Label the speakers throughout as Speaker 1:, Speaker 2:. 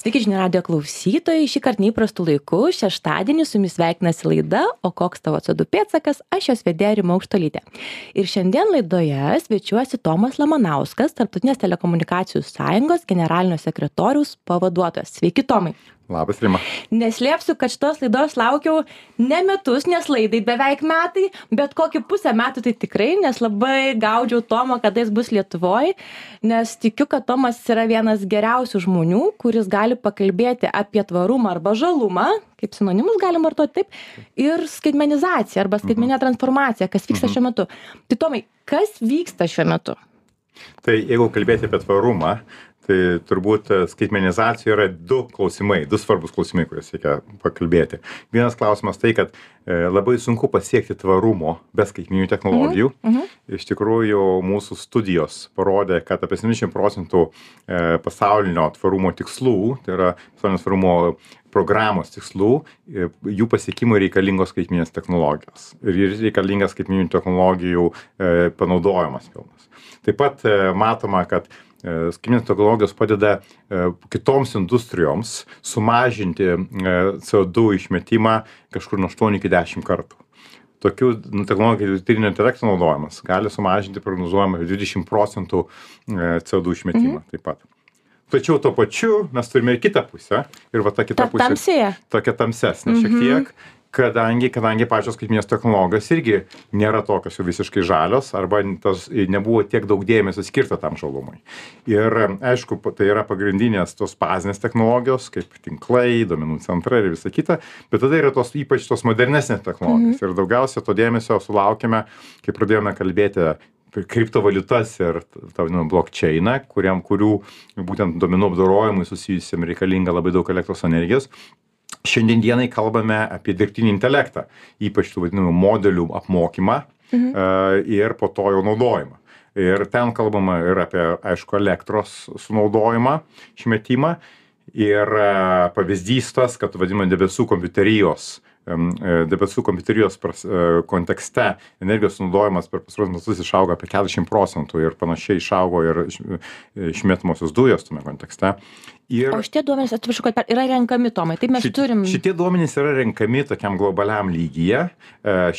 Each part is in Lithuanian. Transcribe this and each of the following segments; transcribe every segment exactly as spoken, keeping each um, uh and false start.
Speaker 1: Sveiki žinių radijo klausytojai, šį kartą neįprastų laikų, šeštadienį su jumis sveikinasi laida O koks tavo C O du pėdsakas, aš jos vedėja Rima Aukštuolytė. Ir šiandien laidoje svečiuosi Tomas Lamanauskas, Tarptautinės telekomunikacijų sąjungos generalinio sekretoriaus pavaduotojas. Sveiki, Tomai.
Speaker 2: Labas, Rima.
Speaker 1: Neslėpsiu, kad šitos laidos laukiau ne metus, nes laidai beveik metai, bet kokį pusę metų tai tikrai, nes labai gaudžiau Tomą, kada jis bus Lietuvoje, nes tikiu, kad Tomas yra vienas geriausių žmonių, kuris gali pakalbėti apie tvarumą arba žalumą, kaip sinonimus galim vartoti taip, ir skaitmenizaciją arba skaitmeninę transformaciją, kas vyksta šiuo metu. Tai Tomai, kas vyksta šiuo metu?
Speaker 2: Tai jeigu kalbėti apie tvarumą, tai turbūt skaitmenizacijoje yra du klausimai, du svarbus klausimai, kuriuos reikia pakalbėti. Vienas klausimas tai, kad e, labai sunku pasiekti tvarumo be skaitmeninių technologijų. Mhm. Mhm. Iš tikrųjų, mūsų studijos parodė, kad apie septyniasdešimt procentų e, pasaulinio tvarumo tikslų, tai yra pasaulinio tvarumo programos tikslų, e, jų pasiekimui reikalingos skaitmeninės technologijos. Ir reikalingas skaitmeninių technologijų e, panaudojimas pilnas. Taip pat e, matoma, kad skaitmeninės technologijos padeda e, kitoms industrijoms sumažinti e, C O du išmetimą kažkur nuo aštuonių iki dešimt kartų. Tokių nu, technologijų dirbtinio intelekto naudojimas gali sumažinti prognozuojamą dvidešimt procentų e, C O du išmetimą mhm. taip pat. Tačiau tuo pačiu mes turime ir kitą pusę. Ir va ta kita
Speaker 1: ta
Speaker 2: pusė.
Speaker 1: Tamsėje.
Speaker 2: Tokia tamsesnė šiek tiek. Mhm. Kadangi, kadangi pačios skaitmeninės technologijos irgi nėra tokios jau visiškai žalios arba tas nebuvo tiek daug dėmesio skirta tam žalumui. Ir aišku, tai yra pagrindinės tos bazinės technologijos, kaip tinklai, duomenų centrai ir visa kita, bet tada yra tos ypač tos modernesnės technologijos. Mhm. Ir daugiausia to dėmesio sulaukėme, kai pradėjome kalbėti kriptovaliutas ir tą vadinamą blockchainą, kuriam, kurių būtent duomenų apdorojimui susijusiam reikalinga labai daug elektros energijos. Šiandien dienai kalbame apie dirbtinį intelektą, ypač tų vadinamų modelių apmokymą mhm. uh, ir po to jau naudojimą. Ir ten kalbama ir apie, aišku, elektros sunaudojimą, išmetimą. Ir uh, pavyzdys tas, kad vadinama debesų kompiuterijos debesų kompiuterijos pras, kontekste energijos sunaudojimas per pastaruosius metus išaugo apie keturiasdešimt procentų ir panašiai išaugo ir išmetamosios dujos tame kontekste. Ir
Speaker 1: o šitie duomenys, atsiprašau, kad yra renkami, Tomai, taip mes
Speaker 2: šit,
Speaker 1: turim.
Speaker 2: Šitie duomenys yra renkami tokiam globaliam lygyje.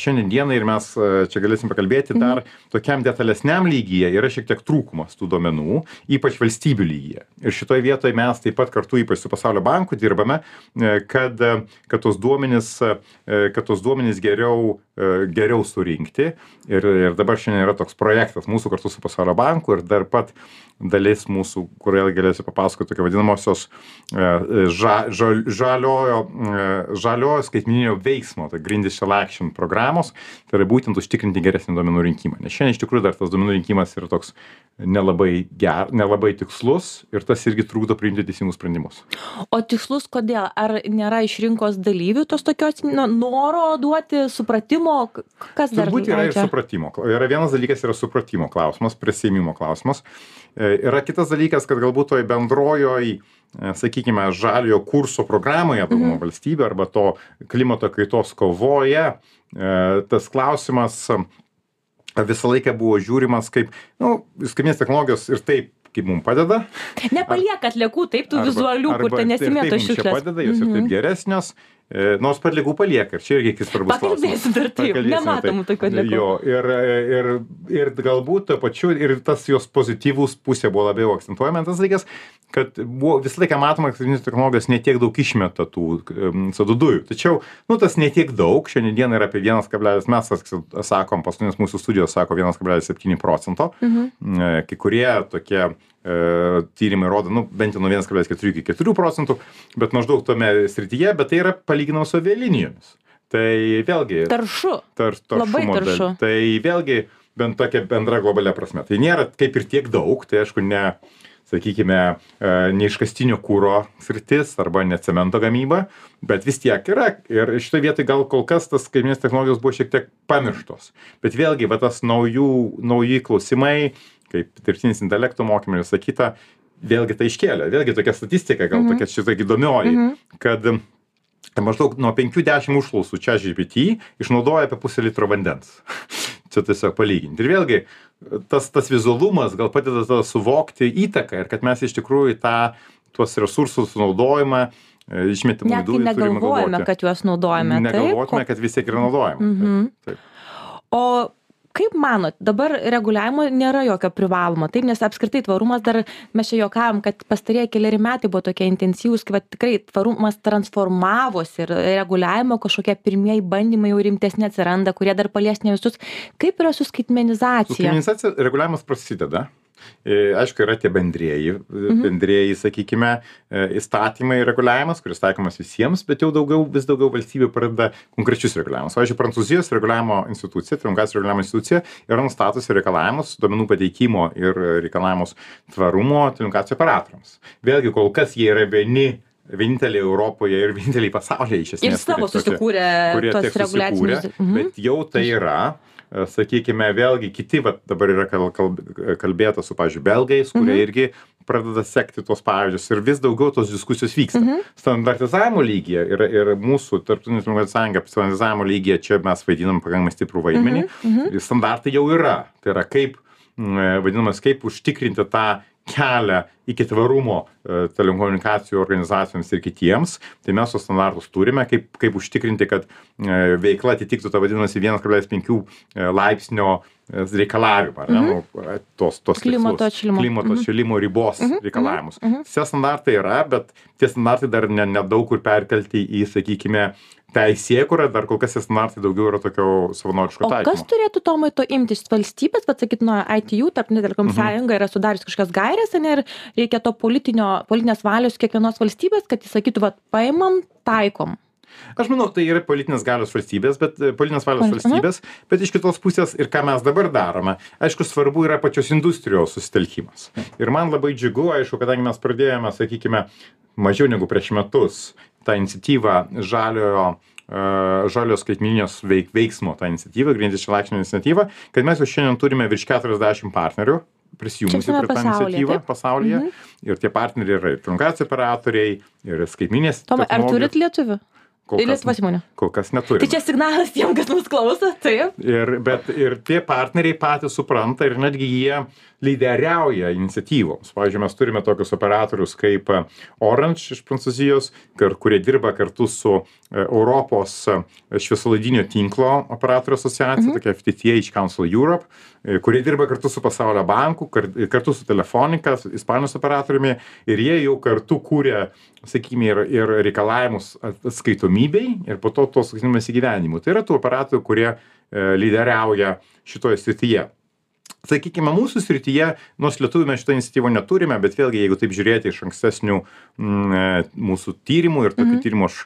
Speaker 2: Šiandien dienai ir mes čia galėsim pakalbėti dar mhm. tokiam detalesniam lygyje yra šiek tiek trūkumas tų duomenų, ypač valstybių lygyje. Ir šitoje vietoje mes taip pat kartu ypač su Pasaulio banku dirbame, kad, kad tos duomenys kad tos duomenys geriau, geriau surinkti. Ir, ir dabar šiandien yra toks projektas mūsų kartu su Pasaulio banku ir dar pat dalis mūsų, kurioje galėsiu papasakoti tokia vadinamosios ža, ža, žaliojo, žaliojo skaitmeninio veiksmo, tai Green Digital Action programos, tai yra būtent užtikrinti geresnį duomenų rinkimą. Nes šiandien iš tikrųjų dar tas duomenų rinkimas yra toks nelabai ger, nelabai tikslus ir tas irgi trukdo priimti teisingus sprendimus.
Speaker 1: O tikslus kodėl? Ar nėra iš rinkos dalyvių tos tokios no, noro duoti supratimo? Kas dar?
Speaker 2: Turbūt yra ir supratimo. Yra vienas dalykas, yra supratimo klausimas, prisėmimo klausimas. Yra kitas dalykas, kad galbūt toj bendrojoj, sakykime, žaliojo kurso programoje dauguma mhm. valstybių arba to klimato kaitos kovoje, tas klausimas visą laiką buvo žiūrimas kaip, nu, skaitmeninės technologijos ir taip, kaip mums padeda.
Speaker 1: Nepalieka atliekų, taip, tų
Speaker 2: arba,
Speaker 1: vizualių,
Speaker 2: arba,
Speaker 1: kur ten nesimėto šiukšlės.
Speaker 2: Taip, mums čia padeda, jos mhm. ir taip geresnios. E, nors padligų palieka, ir čia irgi iki svarbus klausimas.
Speaker 1: Pakalbėsim dar taip, nematomų tokių atliekų.
Speaker 2: Jo, ir, ir, ir galbūt to pačiu, ir tas jos pozityvus pusė buvo labiau akcentuojama, tas dalykas, kad buvo visą laiką matoma, kad skaitmeninės technologijos netiek daug išmeta tų C O du dujų. Tačiau, nu, tas netiek daug, šiandien dieną yra apie vienas kablelis, mes sakom, paskutinės mūsų studijos sako vienas kablelis septyni procento. Mhm. Kai kurie tokie tyrimai rodo, nu, bent jau nuo vienas kablelis keturi iki keturių procentų, bet maždaug tome srityje, bet tai yra palyginama su avialinijos. Tai vėlgi...
Speaker 1: Taršu.
Speaker 2: Tar,
Speaker 1: Labai taršu.
Speaker 2: Tai vėlgi bent tokia bendra globalia prasme. Tai nėra kaip ir tiek daug, tai aišku, ne, sakykime, ne iškastinio kuro sritis arba ne cemento gamyba, bet vis tiek yra. Ir šitoje vietoje gal kol kas tas skaitmeninės technologijos buvo šiek tiek pamirštos. Bet vėlgi, va, tas naujų, nauji klausimai, kaip dirbtinis intelekto mokymai ir sakyta, vėlgi tai iškėlė. Vėlgi tokia statistika, gal mm-hmm. tokia šitai įdomioji, mm-hmm. kad maždaug nuo penkių dešimt užklausų ChatGPT išnaudoja apie pusę litro vandens. Čia tiesiog palyginti. Ir vėlgi, tas, tas vizualumas gal padeda suvokti įtaką ir kad mes iš tikrųjų tą tuos resursus naudojimą, išmetimų
Speaker 1: net kai negalvojame, kad juos naudojame.
Speaker 2: Negalvotume,
Speaker 1: taip,
Speaker 2: kad vis tiek yra naudojama.
Speaker 1: Mhm.
Speaker 2: Taip, taip.
Speaker 1: O kaip manot, dabar reguliavimo nėra jokio privalomo, taip, nes apskritai tvarumas dar, mes čia juokavom, kad pastarieji keliari metai buvo tokie intensyvūs, kad tikrai tvarumas transformavosi ir reguliavimo kažkokie pirmieji bandymai jau rimtesni atsiranda, kurie dar palies ne visus. Kaip yra su skaitmenizacija?
Speaker 2: Su skaitmenizacija reguliavimas prasideda. Aišku, yra tie bendrieji, mhm. bendrieji, sakykime, įstatymai reguliavimas, kuris taikomas visiems, bet jau daugiau, vis daugiau valstybių pradeda konkrečius reguliavimus. Pavyzdžiui, Prancūzijos reguliavimo institucija, telekomunikacijų reguliavimo institucija yra nustatusi reikalavimus, duomenų pateikimo ir reikalavimus tvarumo telekomunikacijų operatoriams. Vėlgi, kol kas jie yra vieni vieninteliai Europoje ir vieninteliai pasaulyje iš esmės.
Speaker 1: Ir savo susikūrė tos reguliacinius.
Speaker 2: Mhm. Bet jau tai yra. Sakykime, vėlgi kiti, va, dabar yra kalbėta su, pavyzdžiui, belgais, kurie mhm. irgi pradeda sekti tos pavyzdžius ir vis daugiau tos diskusijos vyksta. Mhm. Standartizavimo lygyje ir, ir mūsų tarptautinė sąjunga standartizavimo lygyje čia mes vaidinam pakankamai stiprų vaidmenį. Mhm. Mhm. Standartai jau yra. Tai yra kaip, vadinamas, kaip užtikrinti tą kelią iki tvarumo telekomunikacijų organizacijoms ir kitiems, tai mes tos standartus turime, kaip, kaip užtikrinti, kad veikla atitiktų tą vadinasi vienas kablelis penki laipsnio reikalavimą, mm-hmm. tos, tos
Speaker 1: klimato atšilimo,
Speaker 2: klimato atšilimo ribos mm-hmm. reikalavimus. Mm-hmm. Tie standartai yra, bet tie standartai dar nedaug ne kur perkelti į, sakykime, teisėkurą, dar kol kas tie standartai daugiau yra tokio savanoriško taikymo.
Speaker 1: O kas turėtų Tomai to imtis valstybės, bet sakyt, nuo I T U, Tarptautinė telekom sąjunga yra sudarius kažkokias gairės, ir reikia to politinio, politinės valios kiekvienos valstybės, kad jis sakytų, va, paimam, taikom.
Speaker 2: Aš manau, tai yra politinės galios valstybės, bet politinės valios valstybės, bet iš kitos pusės ir ką mes dabar darome, aišku, svarbu yra pačios industrijos susitelkimas. Ir man labai džiugu, aišku, kadangi mes pradėjome, sakykime, mažiau negu prieš metus tą iniciatyvą žaliojo, uh, žaliojo skaitmeninės veik, veiksmo, tą iniciatyvą, grindis šalaikšnio iniciatyvą, kad mes jau šiandien turime virš keturiasdešimt partnerių prisijungusi prie tą iniciatyvą pasaulyje. Mhm. Ir tie partneriai yra ir telekomunikacijų operatoriai, ir skaitmeninės
Speaker 1: technologijos. Tomai, ar turit lietuvių?
Speaker 2: Kol kas,
Speaker 1: Lietuvos įmonė.
Speaker 2: Kol kas neturime.
Speaker 1: Tai čia signalas tiem, kas mus klauso, taip.
Speaker 2: Ir, bet ir tie partneriai patys supranta ir netgi jie lyderiauja iniciatyvoms. Pavyzdžiui, mes turime tokius operatorius kaip Orange iš Prancūzijos, kurie dirba kartu su Europos šviesolaidinio tinklo operatorių asociacija, mhm. tokia F T T H Council Europe, kurie dirba kartu su Pasaulio banku, kartu su Telefonica, Ispanijos operatoriumi, ir jie jau kartu kūrė, sakykime, ir, ir reikalavimus atskaitomybei ir po to tos sakykime įgyvendinimu. Tai yra tų operatorių, kurie e, lyderiauja šitoje srityje. Sakykime, mūsų srityje, nors lietuvių mes šitą iniciatyvą neturime, bet vėlgi, jeigu taip žiūrėti iš ankstesnių m, mūsų tyrimų ir tokių mhm. tyrimų aš,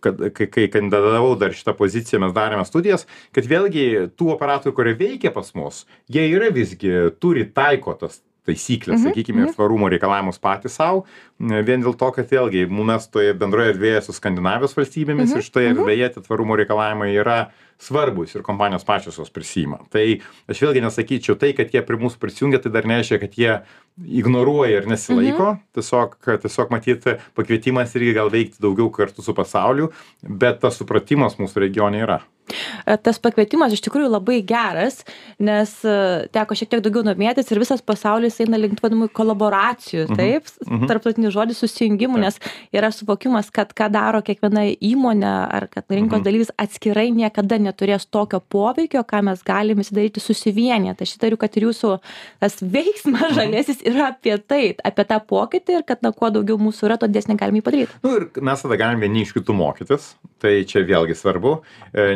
Speaker 2: kad, kai, kai kandidatavau dar šitą poziciją, mes darėme studijas, kad vėlgi tų operatorių, kurie veikia pas mus, jie yra visgi, turi taiko tas taisyklės, mm-hmm. sakykime, ir tvarumo reikalavimus patys savo, vien dėl to, kad vėlgi mes toje bendroje erdvėje su Skandinavijos valstybėmis mm-hmm. ir šitoje erdvėje tie tvarumo reikalavimai yra svarbus ir kompanijos pačios jos prisima. Tai aš vėlgi nesakyčiau tai, kad jie prie mūsų prisijungia, tai dar nereiškia, kad jie ignoruoja ir nesilaiko, mm-hmm. tiesiog, tiesiog matyti pakvietimas irgi gal veikti daugiau kartu su pasauliu, bet tas supratimas mūsų regione yra.
Speaker 1: Tas pakvietimas iš tikrųjų labai geras, nes teko šiek tiek daugiau domėtis ir visas pasaulis eina link vadinamų kolaboracijų, mhm. taip, mhm. tarptautinis žodis susijungimų, nes yra suvokimas, kad ką daro kiekviena įmonė ar kad rinkos mhm. dalyvis atskirai niekada neturės tokio poveikio, ką mes galime įsidaryti susivienyje. Tai aš įtariu, kad ir jūsų tas veiksmas žalėsis yra apie tai, apie tą pokytį ir kad na, kuo daugiau mūsų yra, to didesnį galime jį padaryti.
Speaker 2: Nu, ir mes tada galime vieni iš kitų mokytis, tai čia vėlgi svarbu,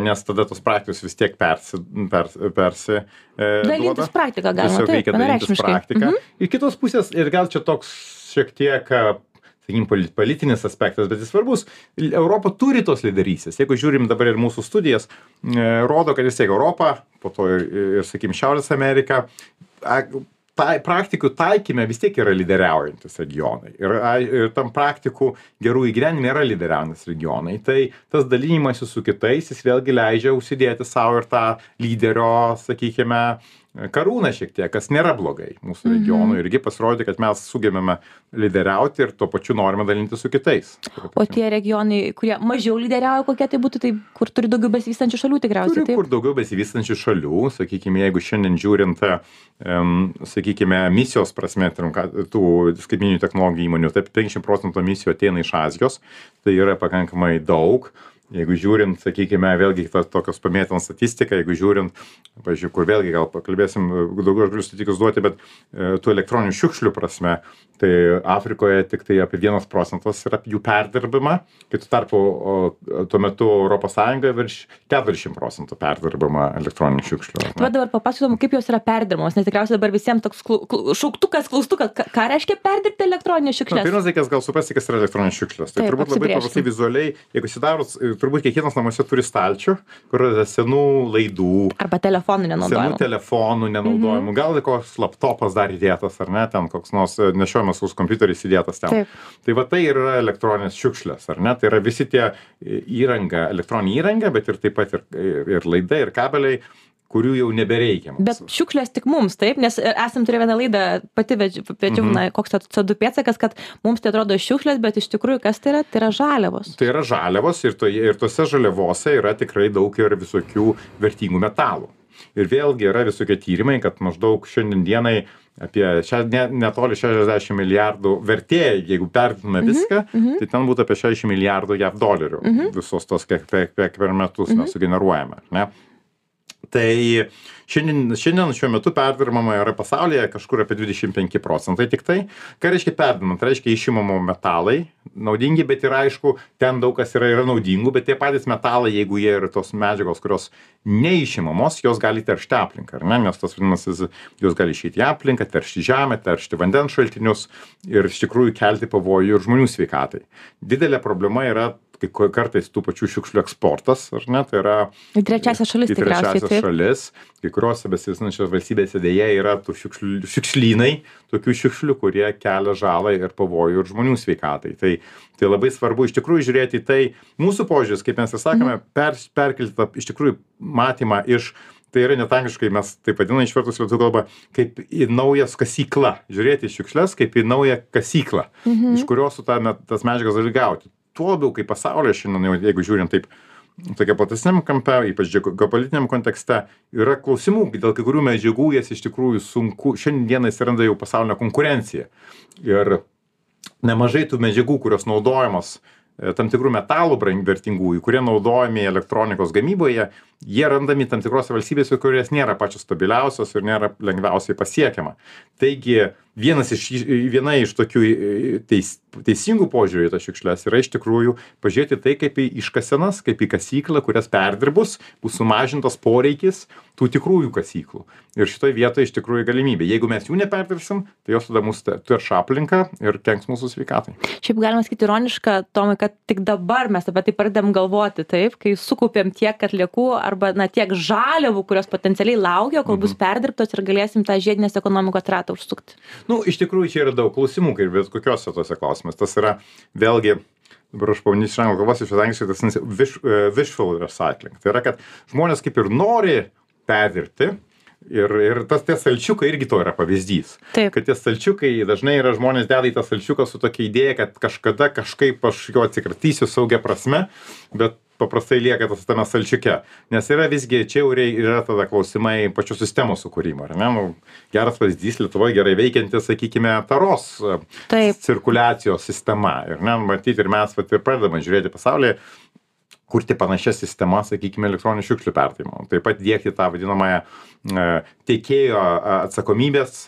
Speaker 2: nes tada tos praktikos vis tiek persi, persi, persi
Speaker 1: dalintis praktiką galima.
Speaker 2: Tiesiog reikia dalintis praktiką.
Speaker 1: Mhm.
Speaker 2: Ir kitos pusės, ir gal čia toks šiek tiek, sakykim, politinis aspektas, bet jis svarbus. Europa turi tos lyderystės. Jeigu žiūrim dabar ir mūsų studijas, rodo, kad vis tiek Europa, po to ir, ir sakykim, Šiaurės Amerika, tai praktikų taikyme vis tiek yra lyderiaujantis regionai. Ir, ir tam praktikų gerų įgyvenime yra lyderiaujantis regionai. Tai tas dalymasis su kitais, jis vėlgi leidžia užsidėti savo ir tą lyderio, sakykime, karūną šiek tiek, kas nėra blogai mūsų regionui. Irgi pasirodė, kad mes sugebėme lyderiauti ir tuo pačiu norime dalinti su kitais.
Speaker 1: O tie regionai, kurie mažiau lyderiauja, kokie tai būtų, tai kur turi daugiau besivystančių šalių tikriausiai?
Speaker 2: Turi, kur daugiau besivystančių šalių, sakykime, jeigu šiandien žiūrint, um, sakykime, misijos prasme, tų skaitmeninių technologijų įmonių, taip penkiasdešimt procentų misijų ateina iš Azijos, tai yra pakankamai daug. Jeigu žiūrint, sakykime, vėlgi tokios pamėtinant statistiką, jeigu žiūrint, pavyzdžiui, kur vėlgi gal pakalbėsim, daugiau aš galiu statistikus duoti, bet e, tų elektroninių šiukšlių prasme, tai Afrikoje tik tai apie vienas procentas yra jų perdirbama, kai tu tarpu o, tuo metu Europos Sąjungoje virš keturiasdešimt procentų perdirbama elektroninių šiukšlių.
Speaker 1: Tu dabar papasakotum, kaip jos yra perdirbamos, nes tikriausiai dabar visiems toks klu, klu, šauktukas, klaustukas, ką, ką reiškia perdirbti elektroninės šiukšlės?
Speaker 2: Na, pirmas dalykas, gal suprasti, kas yra elektroninės šiukšlės. Tai
Speaker 1: Taip,
Speaker 2: turbūt labai paprastai vizualiai, jeigu sidarus, turbūt kiekvienas namuose turi stalčių, kur yra senų laidų.
Speaker 1: Arba telefonų nenaudojimų.
Speaker 2: Senų telefonų nenaudojimų. Mm-hmm. Gal koks laptopas dar įdėtas, ar ne, ten koks nors nešiojamas už kompiuteris įdėtas ten. Taip. Tai va tai yra elektroninės šiukšlės, ar ne? Tai yra visi tie įranga, elektroninė įranga, bet ir taip pat ir, ir laidai, ir kabeliai, kurių jau nebereikia mums.
Speaker 1: Bet šiukšlės tik mums, taip, nes esam turėję vieną laidą, pati vedžiau, mm-hmm. koks C O du pėdsakas, kad mums tai atrodo šiukšlės, bet iš tikrųjų kas tai yra? Tai yra žaliavos.
Speaker 2: Tai yra žaliavos ir, to, ir tose žaliavose yra tikrai daug ir visokių vertingų metalų. Ir vėlgi yra visokie tyrimai, kad maždaug šiandien dienai apie šia, ne, netoli šešiasdešimt milijardų vertė, jeigu perdirbtume mm-hmm. viską, mm-hmm. tai ten būtų apie šešiasdešimt milijardų jav dolerių. Mm-hmm. Visos tos, kiek, kiek per metus mm-hmm. mes sugeneruojame. Ne? Tai šiandien, šiandien šiuo metu perdirbama yra pasaulyje kažkur apie dvidešimt penki procentai tik tai. Ką reiškia perdirbama? Tai reiškia išimamo metalai naudingi, bet ir aišku, ten daug kas yra, yra naudingų, bet tie patys metalai, jeigu jie yra tos medžiagos, kurios neišimamos, jos gali teršti aplinką, ar ne? Nes tas vadinasi, jos gali išeiti į aplinką, teršti žemę, teršti vandens šaltinius ir iš tikrųjų kelti pavojų ir žmonių sveikatai. Didelė problema yra kai kartais tų pačių šiukšlių eksportas, ar ne, tai yra
Speaker 1: į trečiasias šalis,
Speaker 2: į trečiasias šalis, kai kuriuose besivystančiose valstybėse dėja yra tų šiukšlių, šiukšlynai, tokių šiukšlių, kurie kelia žalą ir pavojų ir žmonių sveikatai. Tai, tai labai svarbu iš tikrųjų žiūrėti į tai, mūsų požiūris, kaip mes ir sakome, per, perkelti tą iš tikrųjų matymą iš, tai yra net angliškai mes taip vadiname išvertus lietuvių kalbą, kaip į naujas kasyklą, žiūrėti į šiukšles kaip į naują kasyklą, mhm. iš kurios su ta, tas medžiagas gali gauti. Tuo labiau, kaip pasaulyje šiandien, jeigu žiūrint taip, tokia platesniam kampe, ypač geopolitiniam kontekste, yra klausimų, dėl kai kurių medžiagų jas iš tikrųjų sunku, šiandien atsiranda jau pasaulinė konkurencija. Ir nemažai tų medžiagų, kurios naudojamos tam tikrų metalų vertingųjų, kurie naudojami elektronikos gamyboje, jie randami tam tikrose valstybėse, kurios nėra pačios stabiliausios ir nėra lengviausiai pasiekiama. Taigi, vienas iš, viena iš tokių teis, teisingų požiūrių į tas šiukšles yra iš tikrųjų pažiūrėti tai kaip į iškasenas, kaip į kasyklą, kurias perdirbus bus sumažintas poreikis tų tikrųjų kasyklų. Ir šitoje vietoje iš tikrųjų galimybė. Jeigu mes jų neperdirbsim, tai jos tada mūsų terš aplinką ir kenks mūsų sveikatai.
Speaker 1: Šiaip galima sakyti ironiška, Tomai, kad tik dabar mes apie tai pradedam galvoti, taip, kai sukaupėm tiek atliekų arba na, tiek žaliavų, kurios potencialiai laukia, kol bus perdirbtos ir galėsim tą žiedinės ekonomikos ratą užsukti.
Speaker 2: Nu, iš tikrųjų, čia yra daug klausimų, kaip bet kokiuose tose klausimas. Tas yra vėlgi, dabar aš pabandysiu iš anglų kalbos, iš angliškai tas wish, uh, wishful recycling. Tai yra, kad žmonės kaip ir nori perdirbti ir, ir tas tie stalčiukai irgi to yra pavyzdys.
Speaker 1: Taip.
Speaker 2: Kad tie stalčiukai dažnai yra žmonės deda į tą stalčiuką su tokia idėja, kad kažkada kažkaip aš jo atsikratysiu saugia prasme, bet paprastai lieka tas tame stalčiuke. Nes yra visgi, čia jau yra tada klausimai pačių sistemų sukūrimo. Ar ne? Nu, geras pavyzdys Lietuvoje gerai veikianti, sakykime, taros Taip. cirkuliacijos sistema. Ir, ne, matyti, ir mes vat, ir pradedame žiūrėti pasaulyje, kurti panašias sistemas, sakykime, elektroninių šiukšlių perdavimo. Taip pat diegti tą vadinamąją e, tiekėjo atsakomybės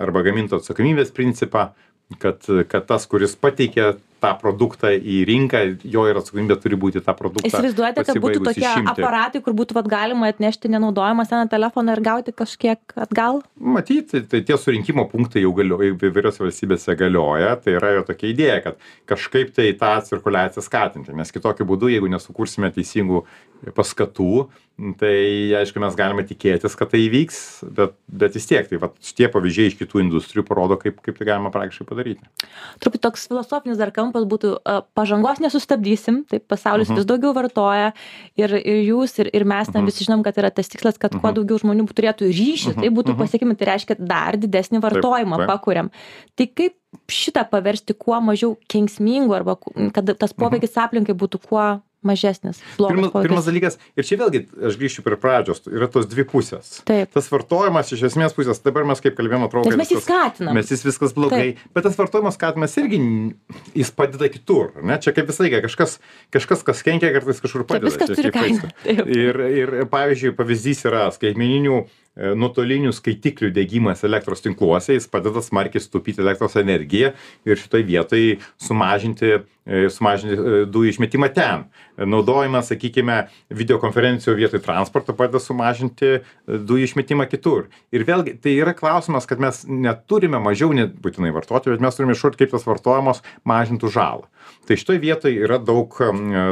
Speaker 2: arba gaminto atsakomybės principą, kad, kad tas, kuris pateikia tą produktą į rinką, jo ir atsakomybė turi būti tą produktą.
Speaker 1: Įsivaizduojate, kad būtų tokie išimti. aparatai, kur būtų vat, galima atnešti nenaudojamą seną telefoną ir gauti kažkiek atgal?
Speaker 2: Matyti, tai tie surinkimo punktai jau galioja, įvairiose valstybėse galioja, tai yra jo tokia idėja, kad kažkaip tai tą cirkuliaciją skatinti, nes kitokiu būdu, jeigu nesukursime teisingų paskatų, tai aišku, mes galime tikėtis, kad tai įvyks, bet, bet vis tiek, tai va, šitie pavyzdžiai iš kitų industrijų parodo, kaip, kaip tai galima praktiškai padaryti.
Speaker 1: Truputį toks filosofinis dar kampas būtų, pažangos nesustabdysim, taip pasaulis uh -huh. vis daugiau vartoja ir, ir jūs, ir, ir mes, uh -huh. na, visi žinom, kad yra tas tikslas, kad uh -huh. kuo daugiau žmonių turėtų ryšį, uh -huh. tai būtų uh -huh. pasiekimi, tai reiškia dar didesnį vartojimą taip, taip. pakuriam. Tai kaip šitą paversti kuo mažiau kenksmingų arba kad tas poveikis uh -huh. aplinkai būtų kuo mažesnis.
Speaker 2: Pirmas, pirmas dalykas, ir čia vėlgi, aš grįšiu prie pradžios, yra tos dvi pusės.
Speaker 1: Taip.
Speaker 2: Tas vartojimas iš esmės pusės, dabar mes kaip kalbėjome, atrodo,
Speaker 1: mes jį skatinam.
Speaker 2: Mes jis viskas blogai, taip. Bet tas vartojimas skatinimas irgi, jis padeda kitur, ne? Čia kaip visai, kažkas, kažkas, kas kenkia, kartais kažkur padeda.
Speaker 1: Taip, viskas turi kainą.
Speaker 2: Ir, ir, pavyzdžiui, pavyzdys yra skaitmeninių nuotolinių skaitiklių diegimas elektros tinkluose, jis padeda smarkiai sutaupyti elektros energiją ir šitoj vietoj sumažinti, sumažinti dujų išmetimą ten. Naudojimas, sakykime, videokonferencijų vietoj transporto padeda sumažinti dujų išmetimą kitur. Ir vėlgi, tai yra klausimas, kad mes neturime mažiau nebūtinai vartoti, bet mes turime iššūkti, kaip tas vartojimas mažintų žalą. Tai šitoj vietoj yra daug,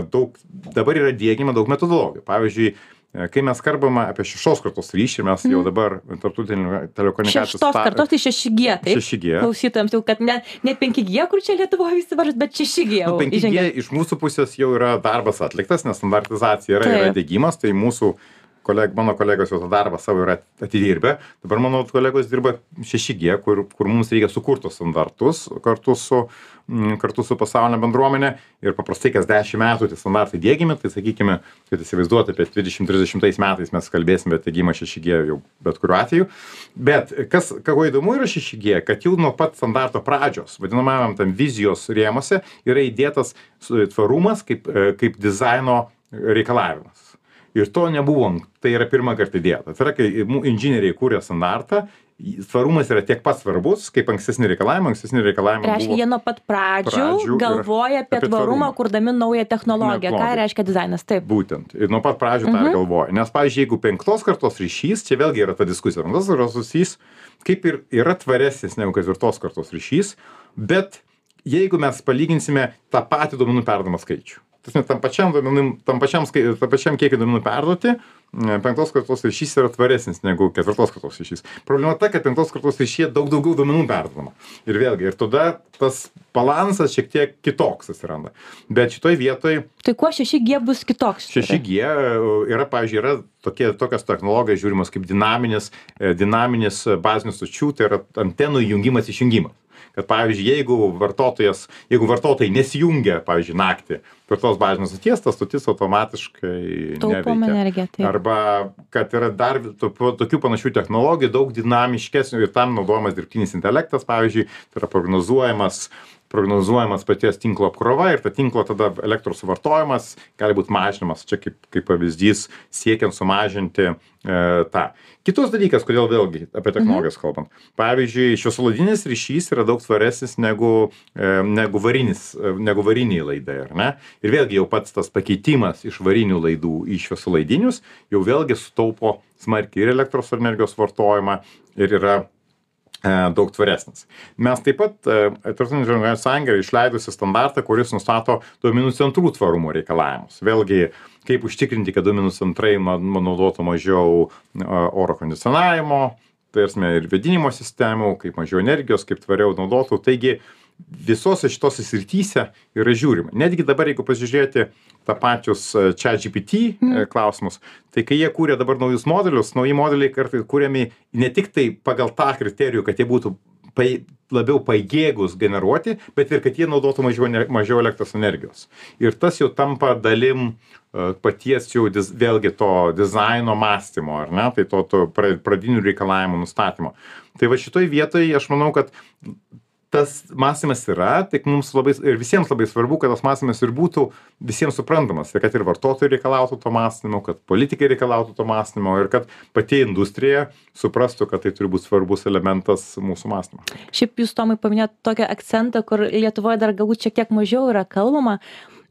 Speaker 2: daug dabar yra diegiama daug metodologijų. Pavyzdžiui, kai mes kalbame apie šeštos kartos ryšį, mes jau dabar tarptautinių telekomunikacijų...
Speaker 1: Šeštos kartos tai šeši gie, taip?
Speaker 2: šeši gie.
Speaker 1: Klausytojams jau, kad ne, ne penki gie, kur čia Lietuvoje visi varžas, bet šeši gie.
Speaker 2: Nu, penki gie iš mūsų pusės jau yra darbas atliktas, nes standartizacija yra, yra diegimas, tai mūsų koleg, mano kolegos jau tą darbą savo yra atidirbę. Dabar mano kolegos dirba šeši gie, kur, kur mums reikia sukurti standartus kartu su, kartu su pasaulinė bendruomenė. Ir paprastai kas dešimt metų tie standartai diegiami, tai sakykime, kad įsivaizduoti apie dvidešimt trisdešimtais metais mes kalbėsime apie diegimą šeši gie jau bet kuriuo atveju. Bet kas, ką įdomu yra šeši gie, kad jau nuo pat standarto pradžios, vadinamajam tam vizijos rėmose, yra įdėtas tvarumas kaip, kaip dizaino reikalavimas. Ir to nebuvo, tai yra pirmą kartą įdėta. Tai yra, kai inžinieriai kūrė standartą, tvarumas yra tiek pat svarbus, kaip ankstesni reikalavimai, ankstesni reikalavimai
Speaker 1: reiškia,
Speaker 2: buvo...
Speaker 1: Reiškia, jie nuo pat pradžių, pradžių galvoja apie, apie tvarumą, tvarumą, kurdami naują technologiją. Ką reiškia dizainas? Taip.
Speaker 2: Būtent. Ir nuo pat pradžių tą
Speaker 1: Mhm.
Speaker 2: galvoja. Nes, pavyzdžiui, jeigu penktos kartos ryšys, čia vėlgi yra ta diskusija. Penktos kartos ryšys kaip ir yra tvaresnis negu ketvirtos kartos ryšys, bet jeigu mes palyginsime tą patį duomenų perdavimo skaičių, tam pačiam, duomenim, tam pačiam, skai- tam pačiam kiekį duomenų perduoti, penktos kartos ryšys yra tvaresnis negu ketvirtos kartos ryšys. Problema ta, kad penktos kartos ryšyje daug daugiau duomenų perdodama. Ir vėlgi, ir tada tas balansas šiek tiek kitoks atsiranda. Bet šitoj vietoj
Speaker 1: Tai kuo šeši gie bus kitoks?
Speaker 2: šeši gie yra, pavyzdžiui, yra tokie, tokios technologijos žiūrimos kaip dinaminis, e, dinaminis bazinių stočių, tai yra antenų įjungimas išjungimas. Kad, pavyzdžiui, jeigu vartotojas, jeigu vartotojai nesijungia, pavyzdžiui, naktį per tos bazinės stoties, tas stotis automatiškai
Speaker 1: Taupom
Speaker 2: neveikia.
Speaker 1: energiją, taip.
Speaker 2: Arba, kad yra dar to- tokių panašių technologijų, daug dinamiškesnių ir tam naudojamas dirbtinis intelektas, pavyzdžiui, tai yra prognozuojamas prognozuojamas paties tinklo apkrova ir ta tinklo tada elektros suvartojimas gali būt mažinamas, čia kaip, kaip pavyzdys siekiant sumažinti e, tą. Kitus dalykas, kodėl vėlgi apie technologijas kalbant. Pavyzdžiui, šviesolaidinis ryšys yra daug svaresnis negu, e, negu, varinis, e, negu variniai laidai, ar ne? Ir vėlgi jau pats tas pakeitimas iš varinių laidų į šviesolaidinius jau vėlgi sutaupo smarkiai ir elektros energijos vartojimą ir yra daug tvaresnis. Mes taip pat, Tarptautinė žemės sąjunga yra išleidusi standartą, kuris nustato duomenų centrų tvarumo reikalavimus. Vėlgi, kaip užtikrinti, kad duomenų centrai naudotų mažiau oro kondicionavimo, tai esmė ir vėdinimo sistemų, kaip mažiau energijos, kaip tvariau naudotų. Taigi, visose šitose srityse yra žiūrima. Netgi dabar, jeigu pasižiūrėti tą pačius ChatGPT mm. klausimus, tai kai jie kūrė dabar naujus modelius, nauji modeliai kartais kūrėmi ne tik tai pagal tą kriterijų, kad jie būtų pai, labiau pajėgus generuoti, bet ir kad jie naudotų mažiau, mažiau elektros energijos. Ir tas jau tampa dalim uh, paties jau diz, vėlgi to dizaino mąstymo, ar ne, tai to, to pradinių reikalavimų nustatymo. Tai va šitoj vietoje aš manau, kad tas mąstymas yra, tik mums labai ir visiems labai svarbu, kad tas mąstymas ir būtų visiems suprantamas, ir kad ir vartotojai reikalautų to mąstymo, kad politikai reikalautų to mąstymo ir kad pati industrija suprastų, kad tai turi būti svarbus elementas mūsų mąstymo.
Speaker 1: Šiaip jūs, Tomai, paminėjote tokią akcentą, kur Lietuvoje dar galbūt šiek tiek mažiau yra kalbama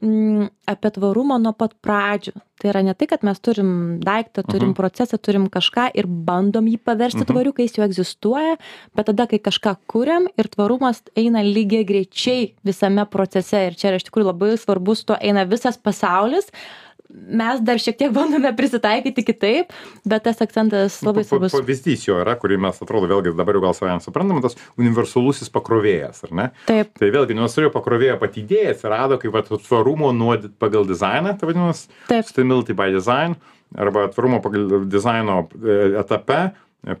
Speaker 1: m, apie tvarumą nuo pat pradžių. Tai yra ne tai, kad mes turim daiktą, turim uh-huh. procesą, turim kažką ir bandom jį paversti uh-huh. tvariu, kai jis jau egzistuoja, bet tada, kai kažką kuriam ir tvarumas eina lygiai greičiai visame procese ir čia yra iš tikrųjų labai svarbus, tuo eina visas pasaulis, mes dar šiek tiek bandome prisitaikyti kitaip, bet tas akcentas labai svarbus.
Speaker 2: Pavyzdys jo yra, kurį mes atrodo vėlgi dabar jau gal savai suprantame, tas universalusis pakrovėjas, ar ne?
Speaker 1: Taip.
Speaker 2: Tai vėlgi universaliojo pakrovėjo pati idėja atsirado kaip vat, tvarumo nuo pagal dizainą, tai vadinamas sustainability by design, arba tvarumo pagal dizaino etape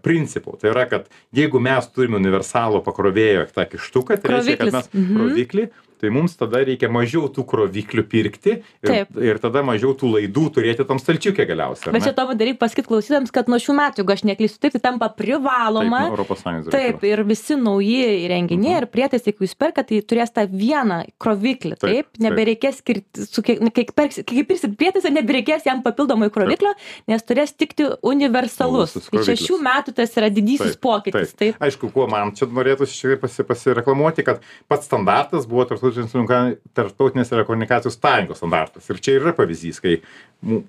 Speaker 2: principų. Tai yra, kad jeigu mes turime universalų pakrovėjo tą kištuką, tai reiškia, kad mes mhm. kroviklį, tai mums tada reikia mažiau tų kroviklių pirkti ir, ir tada mažiau tų laidų turėti tam stalčiukė galiausiai.
Speaker 1: Bet čia to daryk pasakyti klausytams, kad nuo šių metų, jeigu aš neklystu, taip, tai tampa privaloma.
Speaker 2: Taip, Europos Sąjungos
Speaker 1: taip, ir visi nauji įrenginiai ir prietaisai, jeigu jūs perkat, tai turės tą vieną kroviklį, taip, taip, taip. Nebereikės skirti, su kiek, kiek, perks, kiek pirksit prietaisą, nebereikės jam papildomai kroviklio, taip. Nes turės tikti universalus. Tai čia šių metų tas yra didysis taip, pokytis. Taip.
Speaker 2: Taip. Aišku, kuo man čia norėtųsi šiek tiek pasireklamuoti, kad pats standartas buvo tarptautinės telekomunikacijų sąjungos standartas. Ir čia yra pavyzdys, kai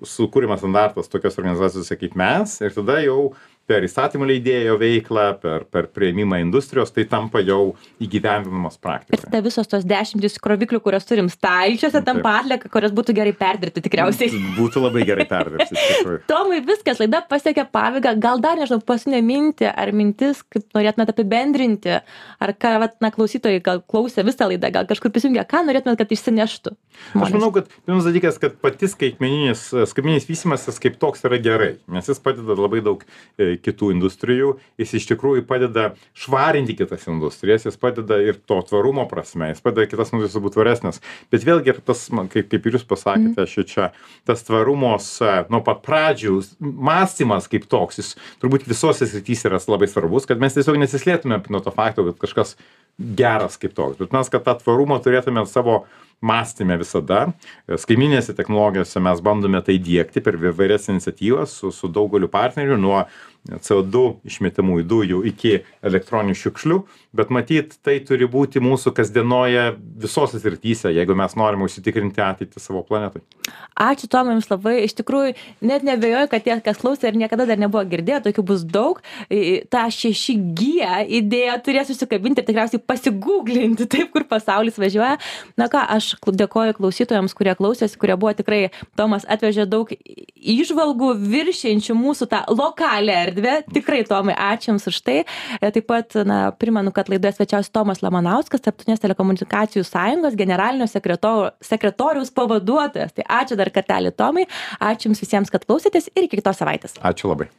Speaker 2: sukūrimas standartas tokios organizacijos kaip mes ir tada jau per įstatymų leidėjo veiklą, per, per prieimimą industrijos, tai tampa jau įgyvendinamos praktikos.
Speaker 1: Ir tada visos tos dešimtys kroviklių, kurias turim stalčiuose, tampa atlieka, kurias būtų gerai perdirbti tikriausiai.
Speaker 2: Būtų labai gerai perdirbti.
Speaker 1: Tomai, viskas, laida pasiekė pabaigą. Gal dar, nežinau, paskutinė mintį ar mintis, kaip norėtumėte apibendrinti, ar ką, vat, na, klausytojai gal klausė visą laidą, gal kažkur prisijungė, ką norėtumėte, kad išsineštų? Žmonės.
Speaker 2: Aš manau, kad pirmas dalykas, kad pati skaitmeninis, skaitmeninis vystymasis kaip toks yra gerai, nes jis padeda labai daug kitų industrijų, jis iš tikrųjų padeda švarinti kitas industrijas, jis padeda ir to tvarumo prasme, jis padeda kitas industrijas būti tvaresnės. Bet vėlgi ir tas, kaip, kaip ir jūs pasakėte, mm. čia, tas tvarumos nuo pat pradžių, mąstymas kaip toks, jis turbūt visose srityse yra labai svarbus, kad mes tiesiog nesislėtume nuo to fakto, kad kažkas geras kaip toks. Bet mes, kad tą tvarumą turėtume savo mąstyme visada. Skaitmeninėse technologijose mes bandome tai diegti per įvairias iniciatyvas su, su daugeliu partnerių, nuo C O du išmetamųjų dujų iki elektroninių šiukšlių, bet matyt, tai turi būti mūsų kasdienoje visose srityse, jeigu mes norime užsitikrinti ateitį savo planetai.
Speaker 1: Ačiū Tomai jums labai, iš tikrųjų net nebejoju, kad tie, kas klausė ir niekada dar nebuvo girdėję, tokių bus daug, tą šeši G idėją turės susikabinti ir tikriausiai pasigūglinti taip, kur pasaulis važiuoja. Na ką, aš dėkoju klausytojams, kurie klausėsi, kurie buvo tikrai, Tomas atvežė daug įžvalgų viršiančių mūsų tą lokalią erdvę. Tikrai, Tomai, ačiū jums už tai. Taip pat, na, primenu, kad laidoje svečiavosi Tomas Lamanauskas, Tarptautinės telekomunikacijų sąjungos generalinio sekretoriaus pavaduotojas. Tai ačiū dar kartelį, Tomai. Ačiū jums visiems, kad klausėtės ir iki kitos savaitės.
Speaker 2: Ačiū labai.